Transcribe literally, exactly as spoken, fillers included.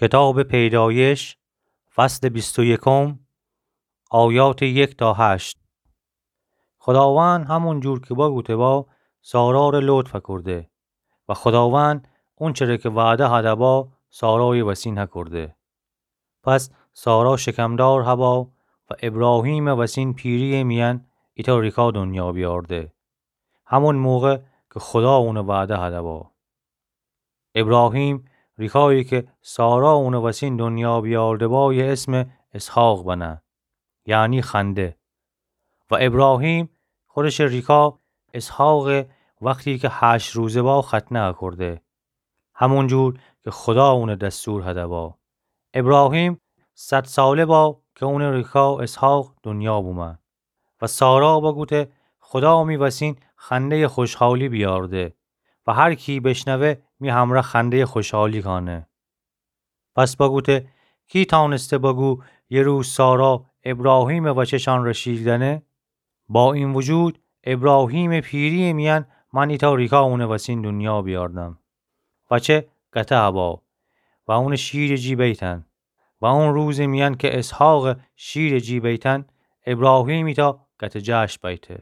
کتابٚ پیدایش، فصلٚ بیست و یکم، آیاتٚ یک تا هشت. خوداوند همون جور کی بگوته با، سارا ره لطف هکرده و خوداوند اونچه ره کی وعده هده با، سارایٚ وسین هکرده. پس سارا شکمدار هبا و ابراهیمٚ وسین پیرییٚ میأن ایتأ ریکا دنیا بیارده. همون موقع کی خودا اونٚ وعده هده با. ابراهیم ریکایی کی سارا اونٚ وسین دنیا بیارده بایه اسم اسحاق بنه، یعنی خنده. و ابراهیم خودشٚ ریکا اسحاقٚ وختی کی هشت روزه با ختنه هکرده، همون جور کی خودا اونٚ دستور هده با. ابراهیم صد ساله با کی اونٚ ریکا اسحاق دنیا بومه. و سارا بگوته، خودا می وسین خنده‌یٚ خوشحالی بیارده و هر کی بشنوه می همرأ خنده‌یٚ خوشحالی کانه. پس بگوته، کی تانسته بگو یه روز سارا ابراهیمٚ وچه شان ره شیر دأنه؟ با این وجود ابراهیمٚ پیرییٚ میأن من ایتأ ریکا اونٚ وسین دنیا بیاردم. وچه گته هبا و اونٚ شیرٚ جی بیتن. و اون روزٚ میأن کی اسحاقٚ شیرٚ جی بیتن، ابراهیم ایتأ گته جشن بیته.